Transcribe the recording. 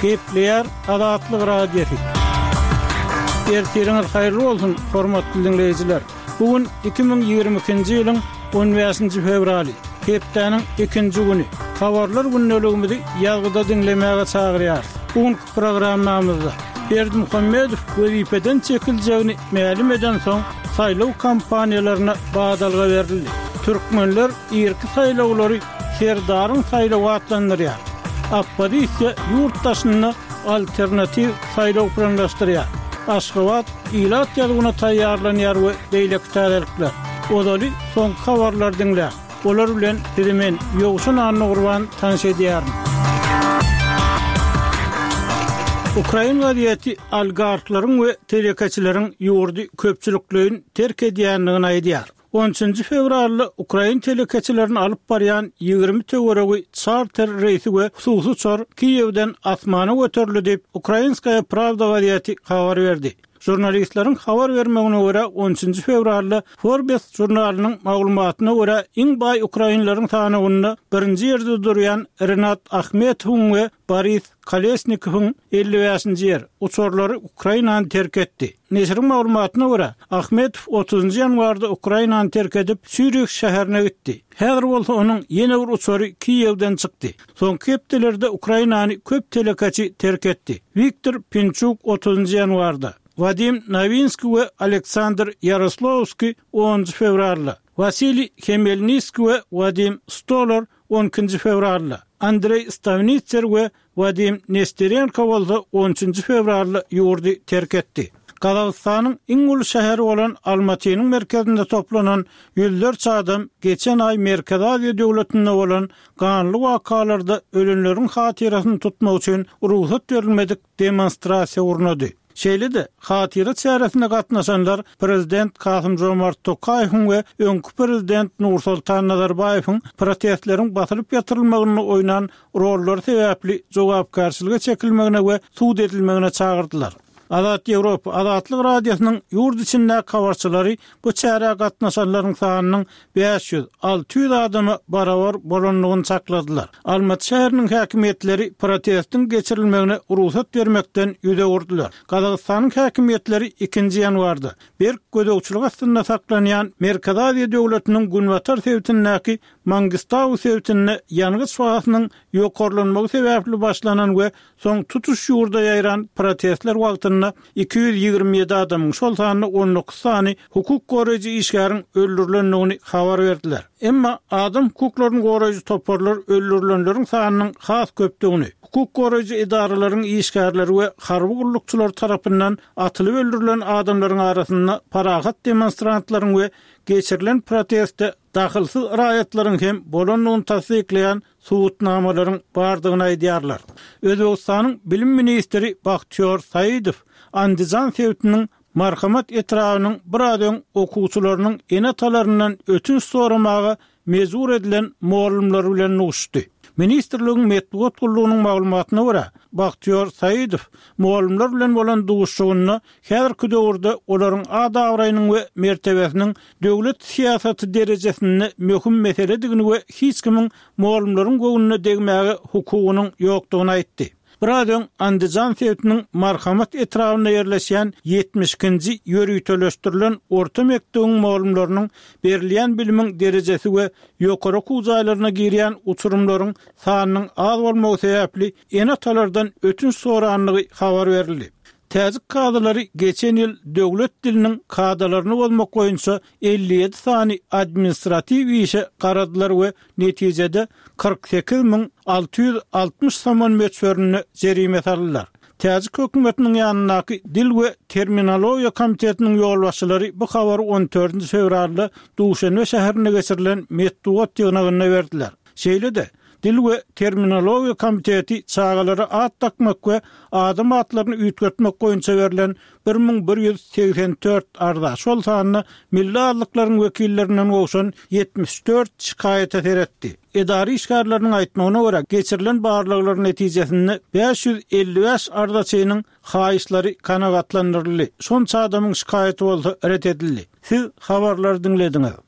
Gepleýär Azatlyk Radiosy. Ertiriňiz haýyrly bolsun, hormatly diňleýjiler! Bu gün 2022-nji ýylyň on bäşinji fewraly, hepdäniň ikinji güni. Habarlar gündeligimizi ýazgyda diňlemäge çagyrýarys. Bu günki programmamyzda Berdimuhamedow wezipeden çekiljegini mälim edensoň, saýlaw kampaniýalaryna badalga berildi. Türkmenler irki saýlawlary Serdaryň saýlawy atlandyrýar. Oppozisiýa ýurt daşynda alternatiw saýlaw planlaşdyrýar. Aşgabat ilat ýazuwyna taýýarlanýar we beýleki täzelikler. Ozaly soňky habarlary diňläň. Olar bilen sizi men, Ýowşan Annagurban tanyş edýärin. Ukrain gazeti oligarhlaryň we telekeçileriň ýurdy köpçülikleýin terk edýändigini aýdýar. On üçünji fewralda ukrain telekeçilerini alyp barýan 20 töweregi çarter reýsi we hususy uçar Kiýewden asmana göterildi diýip, Ukrainskaýa prawda gazeti habar berdi. Žurnalistleriň habar bermegine görä, on üçünji fewralda Forbes žurnalynyň maglumatyna görä, iň baý ukrainleriň sanawynda birinji ýerde durýan Rinat Ahmetowyň we Boris Kolesnikowyň, 55-nji ýer, uçarlary Ukrainany terk etdi. Neşiriň maglumatyna görä, Ahmetow otuzynjy ýanwarda Ukrainany terk edip, Sýurih şäherine gitdi. Häzir bolsa onuň ýene bir uçary Kiýewden çykdy. Soňky hepdelerde Ukrainany köp telekeçi terk etdi. Wiktor Pinçuk otuzynjy ýanwarda, Wadim Nowinskiý we Aleksandr Ýaroslawskiý onunjy fewralda, Wasiliý Hemelniskiý we Wadim Stolar on ikinji fewralda, Andreý Stawnitser we Wadim Nesterenko bolsa on üçünji fewralda ýurdy terk etdi. Gazagystanyň iň uly şäheri bolan Almatynyň merkezinde toplanan ýüzlerçe adam geçen aý Merkezi Aziýa döwletinde bolan ganly wakalarda ölenleriň hatyrasyny tutmak üçin rugsat berilmedik demonstrasiýa gurnady. Şeýle-de, hatyra çäresine gatnaşanlar prezident Kasym-Žomart Tokaýewiň we öňki prezident Nursoltan Nazarbaýewiň protestleriň basylyp ýatyrylmagynda oýnan rollary sebäpli jogapkärçilige çekilmegine we sud edilmegine çagyrdylar. Azat Ýewropa, Azatlyk Radiosynyň ýurt içindäki habarçylary bu çärä gatnaşanlaryň sanynyň 500, 600 adama barabar bolandygyny çakladylar. Almaty şäheriniň häkimiýetleri protestiň geçirilmegine rugsat bermekden ýüz öwürdiler. Gazagystanyň häkimiýetleri ikinji ýanwarda berk gözegçilik astynda saklanýan Merkezi Aziýa döwletiniň günbatar sebitindäki Mangistau sebitinde ýangyç bahasynyň ýokarlanmagy sebäpli başlanan we soň tutuş ýurda ýaýran protestler wagtynda 227 adamyň, şol sanda 19 sany hukuk goraýjy işgäriň öldürilendigini habar berdiler. Emma adam hukuklaryny goraýjy toparlar öldürilenleriň sanynyň has köpdügini, hukuk goraýjy edaralaryň işgärleri we harby gullukçylar tarapyndan atylyp öldürilen adamlaryň arasynda parahat demonstrantlaryň we geçirilen proteste dahylsyz raýatlaryň hem bolandygyny tassyklaýan subutnamalaryň bardygyny aýdýarlar. Özbegistanyň bilim ministri Bahtiýor Saidow Andijan sebitiniň Marhamat etrabynyň biraz öň okuwçylarynyň ene-atalaryndan ötünç soramaga mejbur edilen mugallymlary bilen duşuşdy. Ministrligiň metbugat gullugynyň maglumatyna görä, Bahtiýor Saidow mugallymlar bilen bolan duşuşygynda Häzirki döwürde olaryň at-abraýynyň we mertebesiniň döwlet syýasaty derejesinde möhüm meseledigini we hiç kimiň mugallymlaryň göwnüne degmäge hukugynyň ýokdugyny aýtdy. Biraz öň Andijan sebitiniň Marhamat etrabynda ýerleşýän 72-nji ýöriteleşdirilen orta mekdebiň mugallymlarynyň berilýän bilimiň derejesi we ýokary okuw jaýlaryna girýän uçurymlaryň sanynyň az bolmagy sebäpli ene-atalardan ötünç sorandygy habar berildi. Täjik kazylary geçen ýyl döwlet diliniň kadalaryny bozmak boýunça 57 sany administratiw işe garadylar we netijede 48 660 somon möçberinde jerime saldylar. Täjik hökümetiniň ýanyndaky Dil we terminologiýa komitetiniň ýolbaşçylary bu habary on dördünji fewralda Duşenbe şäherinde geçirilen metbugat ýygnagynda berdiler. Şeýle-de, Dil we terminologiýa komiteti çagalara at dakmak we adam atlaryny üýtgetmek boýunça berlen 1184 arza, şol sanda milli azlyklaryň wekillerinden gowşan 74 şikaýata seretdi. Edara işgärleriniň aýtmagyna görä, geçirilen barlaglar netijesinde 555 arzaçynyň haýyşlary kanagatlandyryldy, şonça adamyň şikaýaty bolsa ret edildi. Siz habarlary diňlediňiz.